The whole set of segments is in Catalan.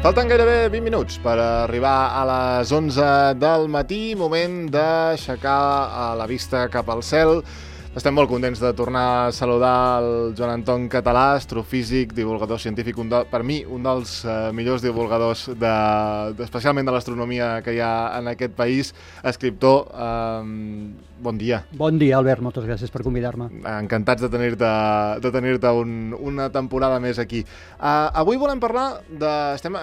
Falten gairebé 20 minuts per arribar a les 11 del matí, moment d'aixecar la vista cap al cel. Estem molt contents de tornar a saludar el Joan Anton Català, astrofísic, divulgador científic, per mi un dels millors divulgadors, especialment de l'astronomia que hi ha en aquest país, escriptor. Bon dia. Bon dia, Albert, moltes gràcies per convidar-me. Encantats de tenir-te una temporada més aquí. Avui volem parlar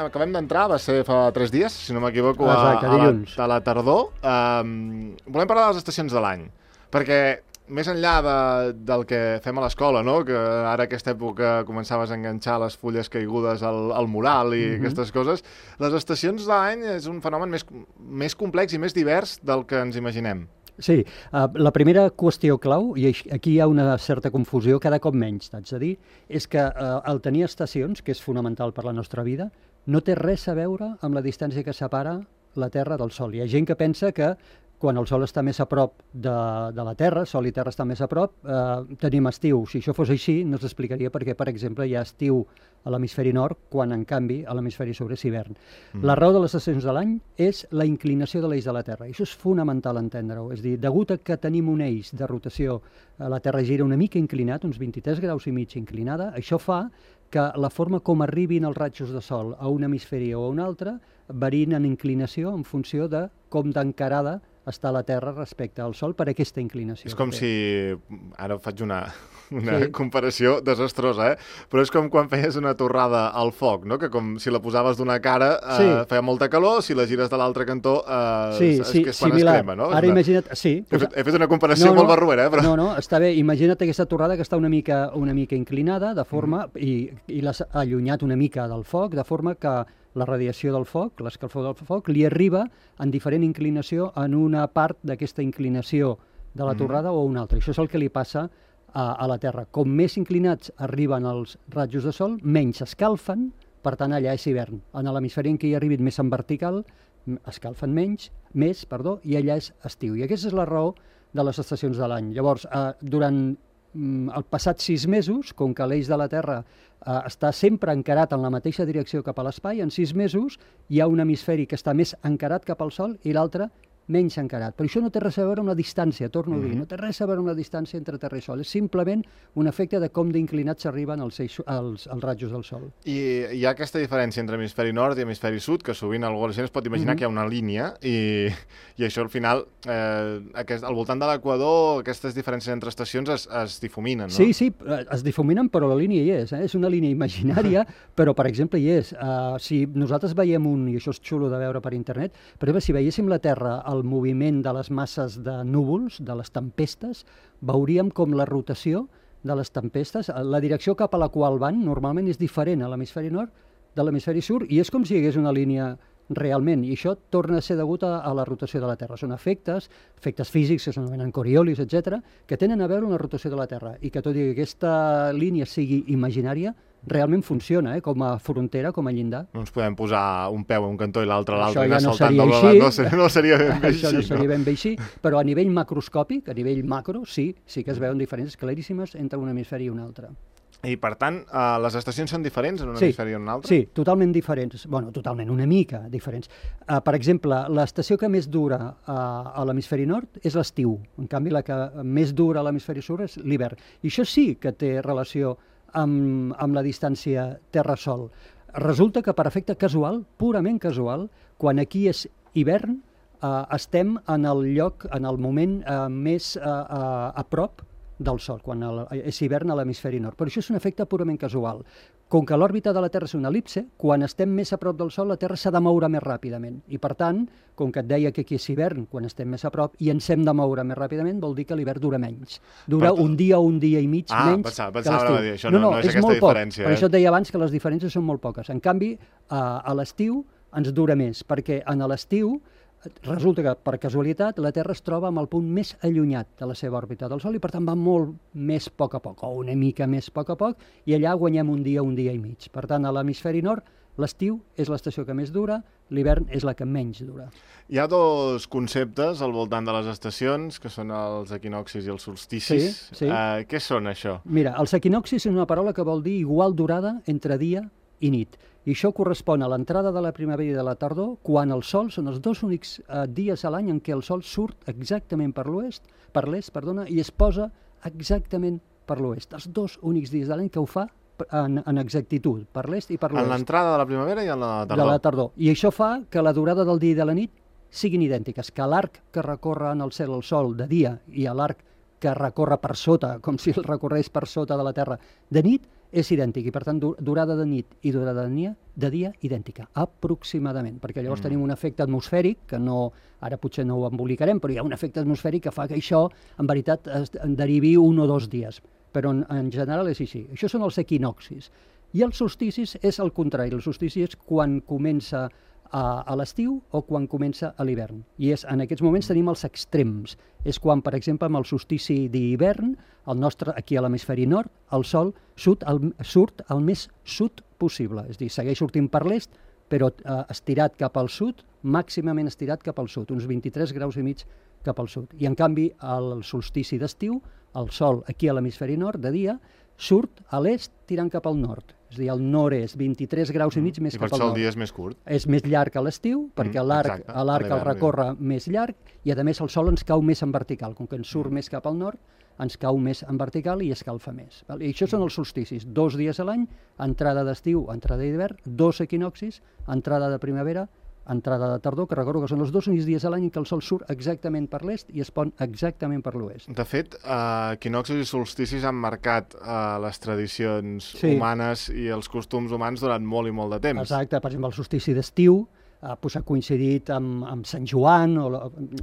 acabem d'entrar, va ser fa 3 dies, si no m'equivoco, dilluns. A la tardor. Volem parlar de les estacions de l'any, perquè més enllà del que fem a l'escola, no? Que ara aquesta època començaves a enganxar les fulles caigudes al mural i aquestes coses, les estacions de l'any és un fenomen més complex i més divers del que ens imaginem. Sí, la primera qüestió clau, i aquí hi ha una certa confusió, cada cop menys, t'haig de dir, és que el tenir estacions, que és fonamental per la nostra vida, no té res a veure amb la distància que separa la Terra del Sol. Hi ha gent que pensa que quan el Sol està més a prop de la Terra, Sol i Terra estan més a prop, tenim estiu. Si això fos així, no s'explicaria perquè, per exemple, hi ha estiu a l'hemisferi nord, quan, en canvi, a l'hemisferi sud és hivern. La raó de les estacions de l'any és la inclinació de l'eix de la Terra. I això és fonamental entendre-ho. És a dir, degut a que tenim un eix de rotació, la Terra gira una mica inclinat, uns 23 graus i mig inclinada, això fa que la forma com arribin els rajos de sol a un hemisferi o a un altre varien en inclinació en funció de com d'encarada està la Terra respecte al Sol per aquesta inclinació. És com si... Ara faig una comparació desastrosa, però és com quan feies una torrada al foc, no? Que com si la posaves d'una cara feia molta calor, si la gires de l'altre cantó és quan es crema, no? Ara imagina't... Sí. He fet una comparació molt barruera, però... No, està bé. Imagina't aquesta torrada que està una mica inclinada, de forma... i l'has allunyat una mica del foc, de forma que la radiació del foc, l'escalfor del foc, li arriba en diferent inclinació en una part d'aquesta inclinació de la torrada o una altra. Això és el que li passa a la Terra. Com més inclinats arriben els rajos de sol, menys escalfen, per tant allà és hivern. En l'hemisferi en què hi arribin més en vertical, escalfen més, i allà és estiu. I aquesta és la raó de les estacions de l'any. Llavors, durant el passat 6 mesos, com que l'eix de la Terra està sempre encarat en la mateixa direcció cap a l'espai, en 6 mesos hi ha un hemisferi que està més encarat cap al Sol i l'altre menys encarat. Però això no té res a veure amb la distància, torno a dir, no té res a veure amb la distància entre Terra i Sol, és simplement un efecte de com d'inclinats s'arriben els rajos del Sol. I hi ha aquesta diferència entre hemisferi nord i hemisferi sud, que sovint algú es pot imaginar que hi ha una línia, i això al final, al voltant de l'equador, aquestes diferències entre estacions es difuminen, no? Sí, es difuminen, però la línia hi és una línia imaginària, però per exemple hi és. Si nosaltres veiem i això és xulo de veure per internet, per exemple, si veiéssim la Terra el moviment de les masses de núvols, de les tempestes, veuríem com la rotació de les tempestes, la direcció cap a la qual van normalment és diferent a l'hemisferi nord de l'hemisferi sud, i és com si hi hagués una línia realment, i això torna a ser degut a la rotació de la Terra. Són efectes físics que s'anomenen Coriolis, etc., que tenen a veure amb la rotació de la Terra, i que tot i que aquesta línia sigui imaginària, realment funciona, com a frontera, com a llindar. No ens podem posar un peu a un cantó i l'altre a l'altre, ja no seria ben bé així. Això no seria ben bé així, però a nivell macroscòpic, a nivell macro, sí que es veuen diferències claríssimes entre un hemisferi i un altre. I, per tant, les estacions són diferents en un hemisferi i en un altre? Sí, totalment diferents. Bueno, totalment, una mica diferents. Per exemple, l'estació que més dura a l'hemisferi nord és l'estiu. En canvi, la que més dura a l'hemisferi sud és l'hivern. I això sí que té relació amb la distància Terra-Sol. Resulta que per efecte casual, purament casual, quan aquí és hivern, estem en el moment més a prop del Sol, quan és hivern a l'hemisferi nord. Però això és un efecte purament casual. Com que l'òrbita de la Terra és una elipse, quan estem més a prop del Sol, la Terra s'ha de moure més ràpidament. I, per tant, com que et deia que aquí és hivern, quan estem més a prop, i ens hem de moure més ràpidament, vol dir que l'hivern dura menys. Dura un dia o un dia i mig menys pensava que l'estiu. Dir, això no és aquesta diferència. Per això et deia abans que les diferències són molt poques. En canvi, a l'estiu ens dura més, perquè en l'estiu resulta que, per casualitat, la Terra es troba amb el punt més allunyat de la seva òrbita del Sol i, per tant, va molt més a poc, o una mica més a poc, i allà guanyem un dia i mig. Per tant, a l'hemisferi nord, l'estiu és l'estació que més dura, l'hivern és la que menys dura. Hi ha 2 conceptes al voltant de les estacions, que són els equinoccis i els solsticis. Sí. Què són, això? Mira, els equinoccis és una paraula que vol dir igual durada entre dia i nit. I això correspon a l'entrada de la primavera i de la tardor, quan el sol són els 2 únics dies a l'any en què el sol surt exactament per l'est, i es posa exactament per l'oest. Els 2 únics dies de l'any que ho fa en exactitud, per l'est i per l'oest. En l'entrada de la primavera i en la tardor. De la tardor. I això fa que la durada del dia i de la nit siguin idèntiques, que l'arc que recorre en el cel el sol de dia i l'arc que recorre per sota, com si el recorrés per sota de la Terra de nit, és idèntic. I per tant, durada de nit i durada de dia idèntica, aproximadament, perquè llavors tenim un efecte atmosfèric, que no, ara potser no ho embolicarem, però hi ha un efecte atmosfèric que fa que això, en veritat, es derivi 1 o 2 dies. Però en general és així. Això són els equinoccis. I els solsticis és el contrari. El solstici és quan comença a l'estiu o quan comença a l'hivern. I en aquests moments tenim els extrems. És quan, per exemple, amb el solstici d'hivern, el nostre, aquí a l'hemisferi nord, el sol surt al més sud possible. És a dir, segueix sortint per l'est, però estirat cap al sud, màximament estirat cap al sud, uns 23 graus i mig cap al sud. I en canvi, al solstici d'estiu, el sol aquí a l'hemisferi nord, de dia, surt a l'est tirant cap al nord. És a dir, al nord-est, 23 graus i mig més cap al nord. I per això el dia és més curt. És més llarg a l'estiu, perquè l'arc el recorre més llarg, i a més el sol ens cau més en vertical. Com que ens surt més cap al nord, ens cau més en vertical i escalfa més. I això són els solsticis. 2 dies a l'any, entrada d'estiu, entrada d'hivern, 2 equinoccis, entrada de primavera, entrada de tardor, que recordo que són els 2 únics dies a l'any en què el sol surt exactament per l'est i es pon exactament per l'oest. De fet, equinoccis i solsticis han marcat les tradicions humanes i els costums humans durant molt i molt de temps. Exacte, per exemple, el solstici d'estiu ha coincidit amb Sant Joan,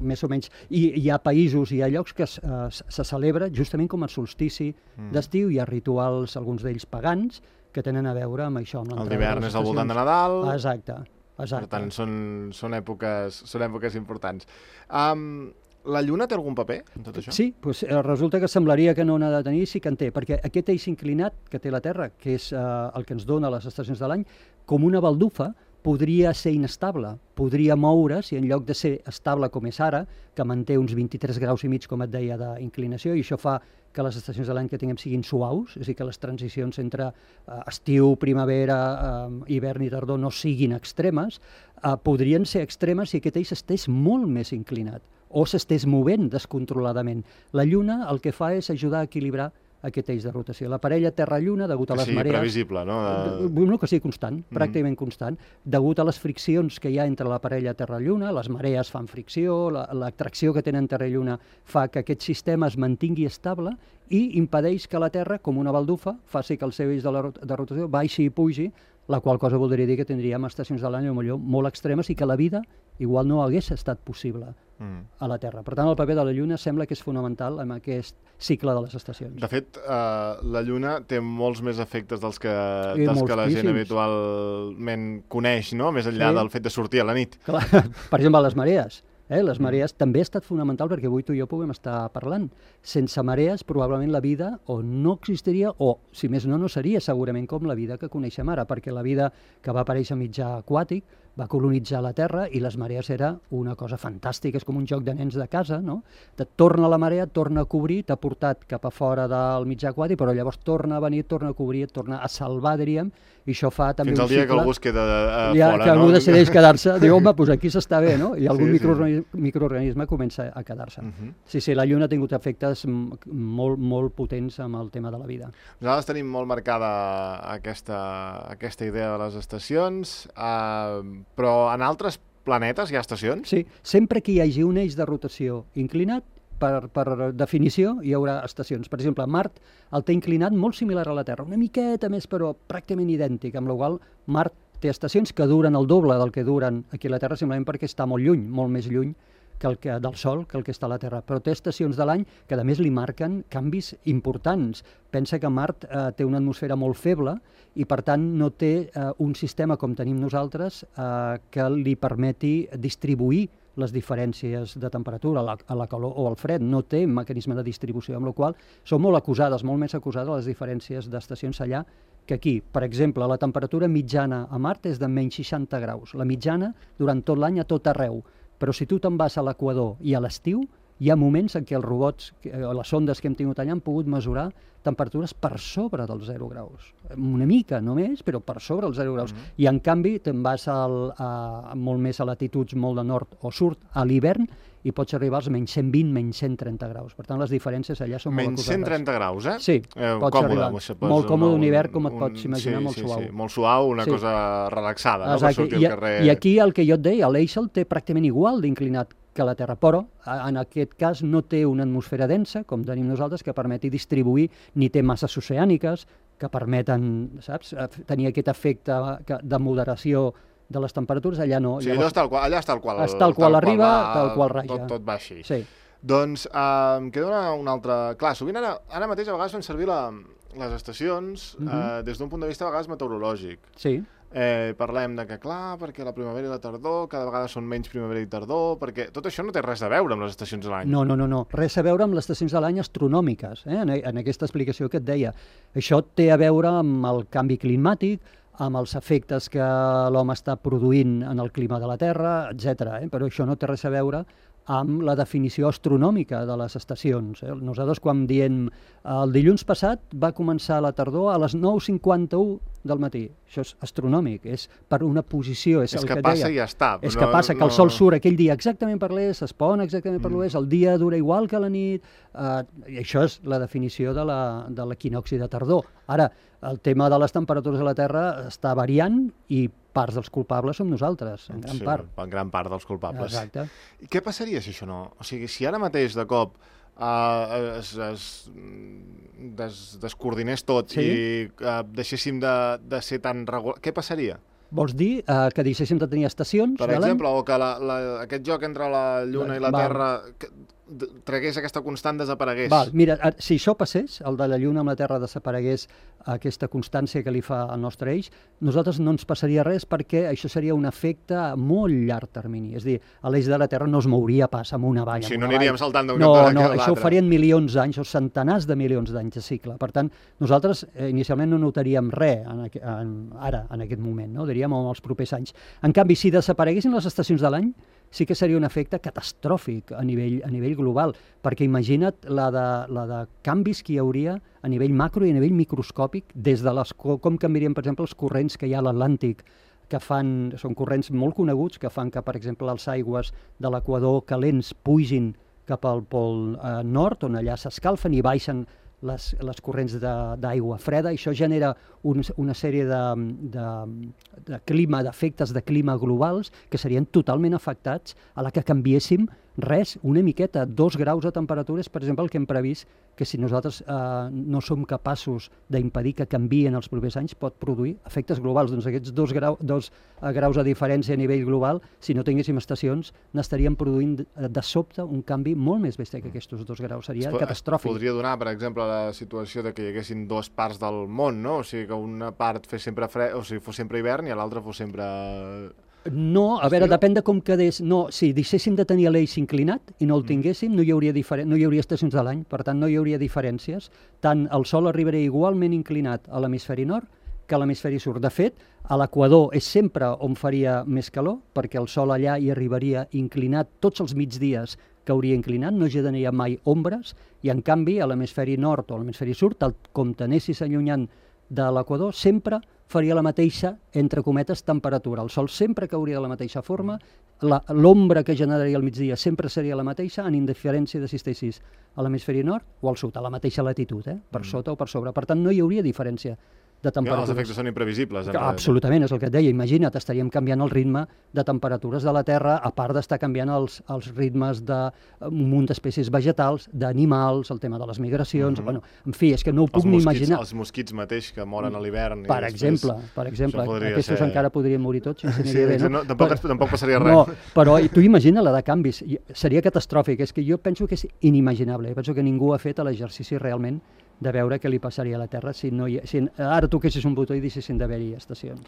més o menys, i hi ha països i hi ha llocs que se celebra justament com el solstici d'estiu. Hi ha rituals, alguns d'ells pagans, que tenen a veure amb això. El d'hivern és al voltant de Nadal. Exacte. Per tant, són èpoques importants. La Lluna té algun paper en tot això? Sí, resulta que semblaria que no n'ha de tenir, sí que en té, perquè aquest eix inclinat que té la Terra, que és el que ens dona les estacions de l'any, com una baldufa, podria ser inestable, podria moure's i en lloc de ser estable com és ara, que manté uns 23 graus i mig, com et deia, d'inclinació, i això fa que les estacions de l'any que tinguem siguin suaus, és a dir, que les transicions entre estiu, primavera, hivern i tardor no siguin extremes, podrien ser extremes si aquest eix estés molt més inclinat o s'estés movent descontroladament. La Lluna el que fa és ajudar a equilibrar aquest eix de rotació. La parella Terra-Lluna, degut a les marees... Que sigui previsible, no? No, que sigui constant, pràcticament constant. Degut a les friccions que hi ha entre la parella Terra-Lluna, les marees fan fricció, l'atracció que tenen Terra i Lluna fa que aquest sistema es mantingui estable i impedeix que la Terra, com una baldufa, faci que el seu eix de rotació baixi i pugi, la qual cosa voldria dir que tindríem estacions de l'any molt extremes i que la vida igual no hagués estat possible a la Terra. Per tant, el paper de la Lluna sembla que és fonamental en aquest cicle de les estacions. De fet, la Lluna té molts més efectes dels que la gent habitualment coneix, no? Més enllà del fet de sortir a la nit. Clar. Per exemple, les marees. Les marees també ha estat fonamental perquè avui tu i jo puguem estar parlant. Sense marees, probablement la vida o no existiria o, si més no seria segurament com la vida que coneixem ara, perquè la vida que va aparèixer a mitjà aquàtic va colonitzar la Terra i les marees era una cosa fantàstica, és com un joc de nens de casa, no? Et torna la marea, et torna a cobrir, t'ha portat cap a fora del mitjà aquàtic, però llavors torna a venir, et torna a cobrir, et torna a salvar, diríem, i això fa també fins un cicle... Fins al dia que algú es queda fora, que algú decideix quedar-se, diu, home, doncs aquí s'està bé, no? I algun microorganisme comença a quedar-se. Sí, la Lluna ha tingut efectes molt potents amb el tema de la vida. Nosaltres tenim molt marcada aquesta idea de les estacions, però en altres planetes hi ha estacions? Sí, sempre que hi hagi un eix de rotació inclinat, per definició hi haurà estacions. Per exemple, Mart el té inclinat molt similar a la Terra, una miqueta més però pràcticament idèntic, amb la qual Mart té estacions que duren el doble del que duren aquí a la Terra, simplement perquè està molt lluny, molt més lluny del Sol que el que està a la Terra. Però té estacions de l'any que a més li marquen canvis importants. Pensa que Mart té una atmosfera molt feble i per tant no té un sistema com tenim nosaltres que li permeti distribuir les diferències de temperatura, a la calor o al fred. No té mecanisme de distribució, amb la qual són molt més acusades les diferències d'estacions allà que aquí. Per exemple, la temperatura mitjana a Mart és de menys 60 graus. La mitjana durant tot l'any a tot arreu. Però si tu te'n vas a l'equador i a l'estiu, hi ha moments en què els robots, les sondes que hem tingut allà han pogut mesurar temperatures per sobre dels 0 graus. Una mica només, però per sobre els 0 graus. I en canvi te'n vas molt més a latituds molt de nord o sud a l'hivern i pots arribar als menys 120, menys 130 graus. Per tant, les diferències allà són molt acusades. Menys 130 graus, eh? Sí, pots arribar. Molt còmode un hivern, com et pots imaginar, molt suau. Sí, molt suau, una cosa relaxada, no? Per sortir al carrer. I aquí el que jo et deia, l'Eixel té pràcticament igual d'inclinat que la Terra, però en aquest cas no té una atmosfera densa, com tenim nosaltres, que permeti distribuir, ni té masses oceàniques que permeten, saps, tenir aquest efecte de moderació de les temperatures. Allà no. Sí, allà està el qual arriba, tal qual raja. Tot va així. Sí. Doncs em queda una altra... Clar, sovint ara mateix a vegades fan servir les estacions des d'un punt de vista a vegades meteorològic. Sí. Parlem de que, clar, perquè la primavera i la tardor cada vegada són menys primavera i tardor, perquè tot això no té res a veure amb les estacions de l'any. No. Res a veure amb les estacions de l'any astronòmiques, en aquesta explicació que et deia. Això té a veure amb el canvi climàtic, amb els efectes que l'home està produint en el clima de la Terra, etc. Però això no té res a veure amb la definició astronòmica de les estacions. Nosaltres, quan diem el dilluns passat va començar la tardor a les 9:51 del matí. Això és astronòmic, és per una posició. És el que deia. Passa i ja està. És que passa que el sol surt aquell dia exactament per l'est, es pon exactament per l'oest, el dia dura igual que la nit, i això és la definició de l'equinocci de tardor. Ara, el tema de les temperatures a la Terra està variant i parts dels culpables som nosaltres, en gran part. En gran part dels culpables. Exacte. I què passaria si això no? O sigui, si ara mateix de cop es descoordinés tot i deixéssim de ser tan regular, què passaria? Vols dir que deixéssim de tenir estacions? Per exemple, o que aquest joc entre la Lluna i la Terra tragués aquesta constant, desaparegués. Mira, si això passés, el de la Lluna amb la Terra desaparegués, aquesta constància que li fa al nostre eix, nosaltres no ens passaria res perquè això seria un efecte a molt llarg termini. És a dir, l'eix de la Terra no es mouria pas amb una vall. Si no aniríem saltant d'un cantó a l'altre. No, això ho farien milions d'anys o centenars de milions d'anys de cicle. Per tant, nosaltres inicialment no notaríem res ara, en aquest moment, no? Diríem en els propers anys. En canvi, si desapareguessin les estacions de l'any, sí que seria un efecte catastròfic a nivell global, perquè imagina't la de canvis que hi hauria a nivell macro i a nivell microscòpic, des de com canviarien, per exemple, els corrents que hi ha a l'Atlàntic, que són corrents molt coneguts, que fan que, per exemple, les aigües de l'equador calents pugin cap al pol nord, on allà s'escalfen i baixen les corrents d'aigua freda. Això genera una sèrie de clima, d'efectes de clima globals que serien totalment afectats a la que canviéssim res, una miqueta, 2 graus de temperatures, per exemple, el que hem previst, que si nosaltres no som capaços d'impedir que canvien els propers anys, pot produir efectes globals. Doncs aquests 2 graus de diferència a nivell global, si no tinguéssim estacions, n'estaríem produint de sobte un canvi molt més bèstia que aquests 2 graus. Seria catastròfic. Es podria donar, per exemple, la situació de que hi haguessin 2 parts del món, no? O sigui, que una part fos sempre hivern i l'altra fos sempre... No, a veure, depèn de com quedés. No, si deixéssim de tenir l'eix inclinat i no el tinguéssim, no hi hauria estacions de l'any, per tant no hi hauria diferències. Tant el Sol arribaria igualment inclinat a l'hemisferi nord que a l'hemisferi sud. De fet, a l'equador és sempre on faria més calor, perquè el Sol allà hi arribaria inclinat tots els migdies que hauria inclinat, no generaria mai ombres, i en canvi a l'hemisferi nord o a l'hemisferi sud, com t'anessis allunyant de l'equador, sempre faria la mateixa, entre cometes, temperatura. El Sol sempre cauria de la mateixa forma, l'ombra que generaria al migdia sempre seria la mateixa, en indiferència de si estessis a l'hemisferi nord o al sud, a la mateixa latitud, per sota o per sobre. Per tant, no hi hauria diferència de temperatures. Els efectes són imprevisibles. Absolutament, és el que et deia. Imagina't, estaríem canviant el ritme de temperatures de la Terra, a part d'estar canviant els ritmes d'un munt d'espècies vegetals, d'animals, el tema de les migracions... Bueno, en fi, és que no ho puc ni imaginar. Els mosquits mateix, que moren a l'hivern. Per exemple, aquests encara podrien morir tots. Tampoc passaria res. No, però tu imagina la de canvis. Seria catastròfic. És que jo penso que és inimaginable. Penso que ningú ha fet l'exercici realment de veure què li passaria a la Terra si ara toquessis un botó i deixessin d'haver-hi estacions.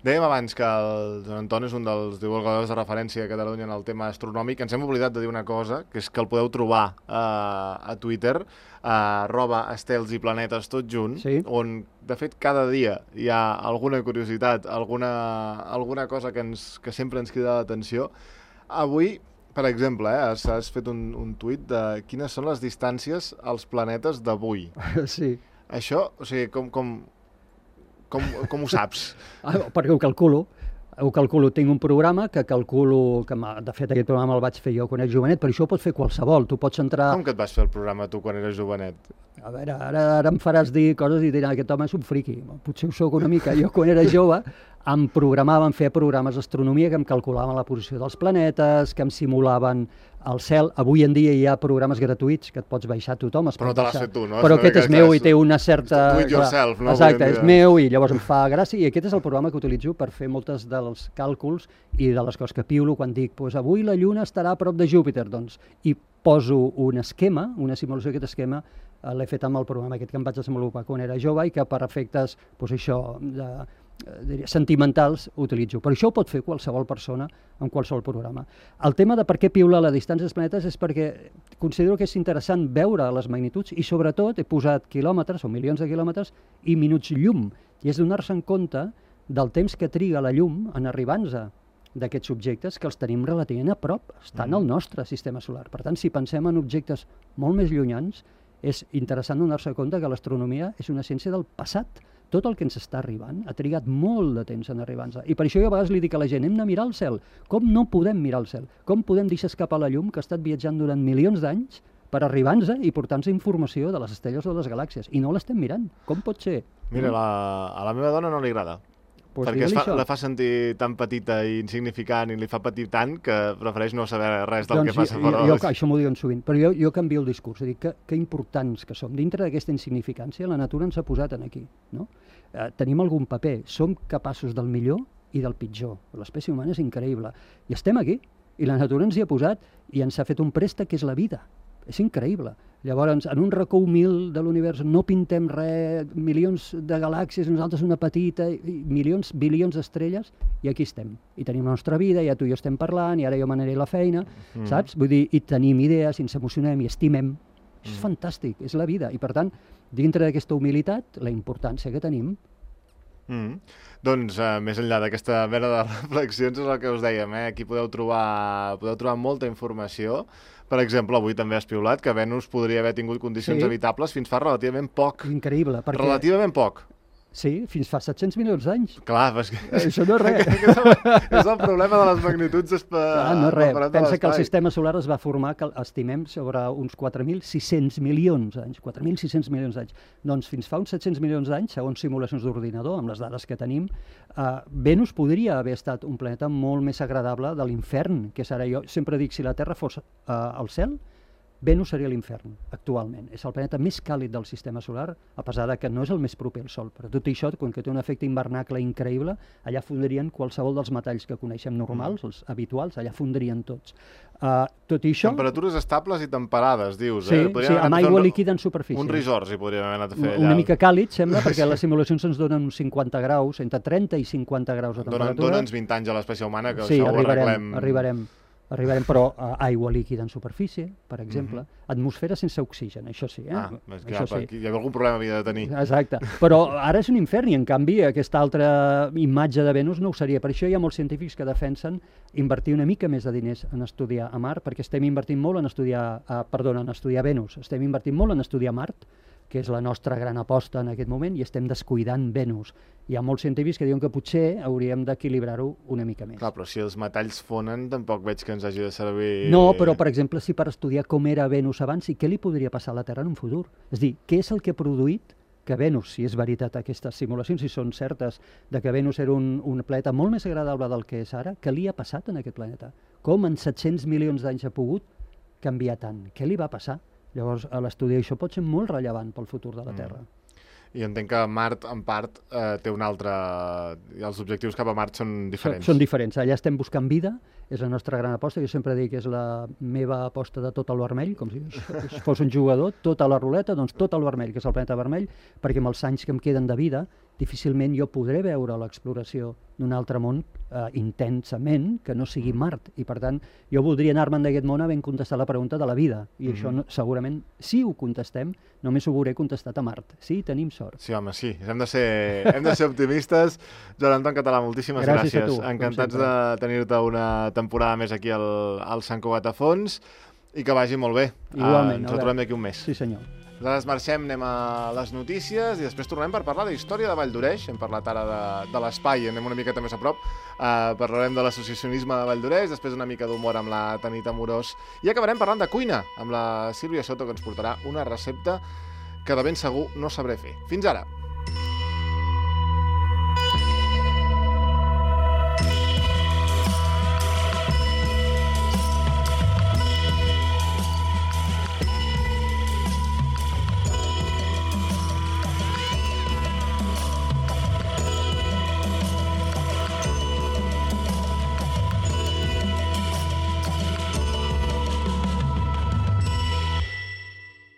Dèiem abans que el Joan Anton és un dels divulgadors de referència a Catalunya en el tema astronòmic. Ens hem oblidat de dir una cosa, que és que el podeu trobar a Twitter, @estels i planetes tot junt, on, de fet, cada dia hi ha alguna curiositat, alguna cosa que sempre ens crida l'atenció. Avui Per exemple, has fet un tuit de quines són les distàncies als planetes d'avui. Sí. Això, o sigui, com ho saps? Perquè ho calculo. Tinc un programa que calculo, de fet aquest programa el vaig fer jo quan era jovenet, però això ho pot fer qualsevol, tu pots entrar... Com que et vas fer el programa tu quan eres jovenet? A veure, ara em faràs dir coses i diràs, aquest home és un friqui. Potser ho soc una mica. Jo quan era jove em feia programes d'astronomia que em calculaven la posició dels planetes, que em simulaven el cel. Avui en dia hi ha programes gratuïts que et pots baixar tothom. Però no te l'has fet tu, no? Però aquest és meu i té una certa... Do it yourself, no? Exacte, és meu i llavors em fa gràcia. I aquest és el programa que utilitzo per fer moltes dels càlculs i de les coses que piulo quan dic avui la Lluna estarà a prop de Júpiter, doncs, i poso un esquema, una simulació d'aquest esquema, l'he fet amb el programa aquest que em vaig desenvolupar quan era jove i que per efectes, sentimentals utilitzo. Però això ho pot fer qualsevol persona amb qualsevol programa. El tema de per què piula la distància dels planetes és perquè considero que és interessant veure les magnituds i sobretot he posat quilòmetres o milions de quilòmetres i minuts llum i és donar-se en compte del temps que triga la llum en arribar-nos d'aquests objectes que els tenim relativament a prop, estan al nostre sistema solar. Per tant, si pensem en objectes molt més llunyans, és interessant donar-se compte que l'astronomia és una ciència del passat. Tot el que ens està arribant ha trigat molt de temps en arribar-nos. I per això jo a vegades li dic a la gent, hem de mirar el cel. Com no podem mirar el cel? Com podem deixar escapar la llum que ha estat viatjant durant milions d'anys per arribar-nos i portar-nos informació de les estrelles o de les galàxies? I no l'estem mirant. Com pot ser? Mira, a la meva dona no li agrada. Pues perquè la fa sentir tan petita i insignificant i li fa patir tant que prefereix no saber res del que passa fora. Això m'ho diuen sovint, però jo canvio el discurs, és a dir, que importants que som. Dintre d'aquesta insignificància, la natura ens ha posat aquí, no? Tenim algun paper, som capaços del millor i del pitjor. L'espècie humana és increïble. I estem aquí, i la natura ens hi ha posat i ens ha fet un préstec que és la vida. És increïble. Llavors, en un racó humil de l'univers no pintem res, milions de galàxies, nosaltres una petita, milions, bilions d'estrelles, i aquí estem. I tenim la nostra vida, ja tu i jo estem parlant, i ara jo m'aniré a la feina, saps? Vull dir, i tenim idees, i ens emocionem, i estimem. És fantàstic, és la vida. I per tant, dintre d'aquesta humilitat, la importància que tenim. Doncs, més enllà d'aquesta mena de reflexions, és el que us dèiem, aquí podeu trobar molta informació. Per exemple, avui també has piulat que Venus podria haver tingut condicions habitables fins fa relativament poc. Increïble. Relativament poc. Sí, fins fa 700 milions d'anys. Clar, perquè... Això no és res. És el problema de les magnituds. No és res. Pensa que el sistema solar es va formar, que estimem, sobre uns 4.600 milions d'anys. 4.600 milions d'anys. Doncs fins fa uns 700 milions d'anys, segons simulacions d'ordinador, amb les dades que tenim, Venus podria haver estat un planeta molt més agradable de l'infern, que és ara jo. Sempre dic, si la Terra fos al cel, Venus seria l'infern, actualment. És el planeta més càlid del sistema solar, a pesar de que no és el més proper al Sol. Però tot això, quan té un efecte hivernacle increïble, allà fondrien qualsevol dels metalls que coneixem normals, els habituals, allà fondrien tots. Tot i això... Temperatures estables i temperades, dius. Sí, amb aigua líquida en superfície. Un resort, si podríem haver anat a fer allà. Una mica càlid, sembla, perquè les simulacions ens donen uns 50 graus, entre 30 i 50 graus de temperatura. Dona'ns 20 anys a l'espècie humana, que això ho arreglem. Arribarem, però aigua líquida en superfície, per exemple, atmosfera sense oxigen, això sí. Això sí. Hi ha algun problema havia de tenir. Exacte, però ara és un infern i en canvi aquesta altra imatge de Venus no ho seria. Per això hi ha molts científics que defensen invertir una mica més de diners en estudiar a Mart, perquè estem invertint molt en estudiar Venus, estem invertint molt en estudiar Mart, que és la nostra gran aposta en aquest moment, i estem descuidant Venus. Hi ha molts científics que diuen que potser hauríem d'equilibrar-ho una mica més. Clar, però si els metalls fonen, tampoc veig que ens hagi de servir... No, però, per exemple, si per estudiar com era Venus abans i què li podria passar a la Terra en un futur. És a dir, què és el que ha produït que Venus, si és veritat aquestes simulacions, si són certes, de que Venus era un planeta molt més agradable del que és ara, què li ha passat en aquest planeta? Com en 700 milions d'anys ha pogut canviar tant? Què li va passar? Llavors, l'estudi d'això pot ser molt rellevant pel futur de la Terra. I entenc que Mart, en part, té un altre... Els objectius cap a Mart són diferents. Són diferents. Allà estem buscant vida, és la nostra gran aposta. Jo sempre dic que és la meva aposta de tot al vermell, com si fos un jugador, tot a la ruleta, doncs tot al vermell, que és el planeta vermell, perquè amb els anys que em queden de vida, difícilment jo podré veure l'exploració d'un altre món intensament que no sigui Mart. I per tant, jo voldria anar-me'n d'aquest món havent contestat la pregunta de la vida. I això segurament, si ho contestem, només ho veuré contestat a Mart. Sí, tenim sort. Sí, home, sí. Hem de ser optimistes. Joan Anton Català, moltíssimes gràcies. A tu, encantats de tenir-te una temporada més aquí al Sant Cugat a Fons i que vagi molt bé. Igualment. Ens retrobem d'aquí un mes. Sí, senyor. Nosaltres marxem, anem a les notícies i després tornem per parlar de història de Valldoreix. Hem parlat ara de l'espai, anem una miqueta més a prop. Parlarem de l'associacionisme de Valldoreix, després una mica d'humor amb la Tanit Amorós i acabarem parlant de cuina amb la Sílvia Soto, que ens portarà una recepta que de ben segur no sabré fer. Fins ara!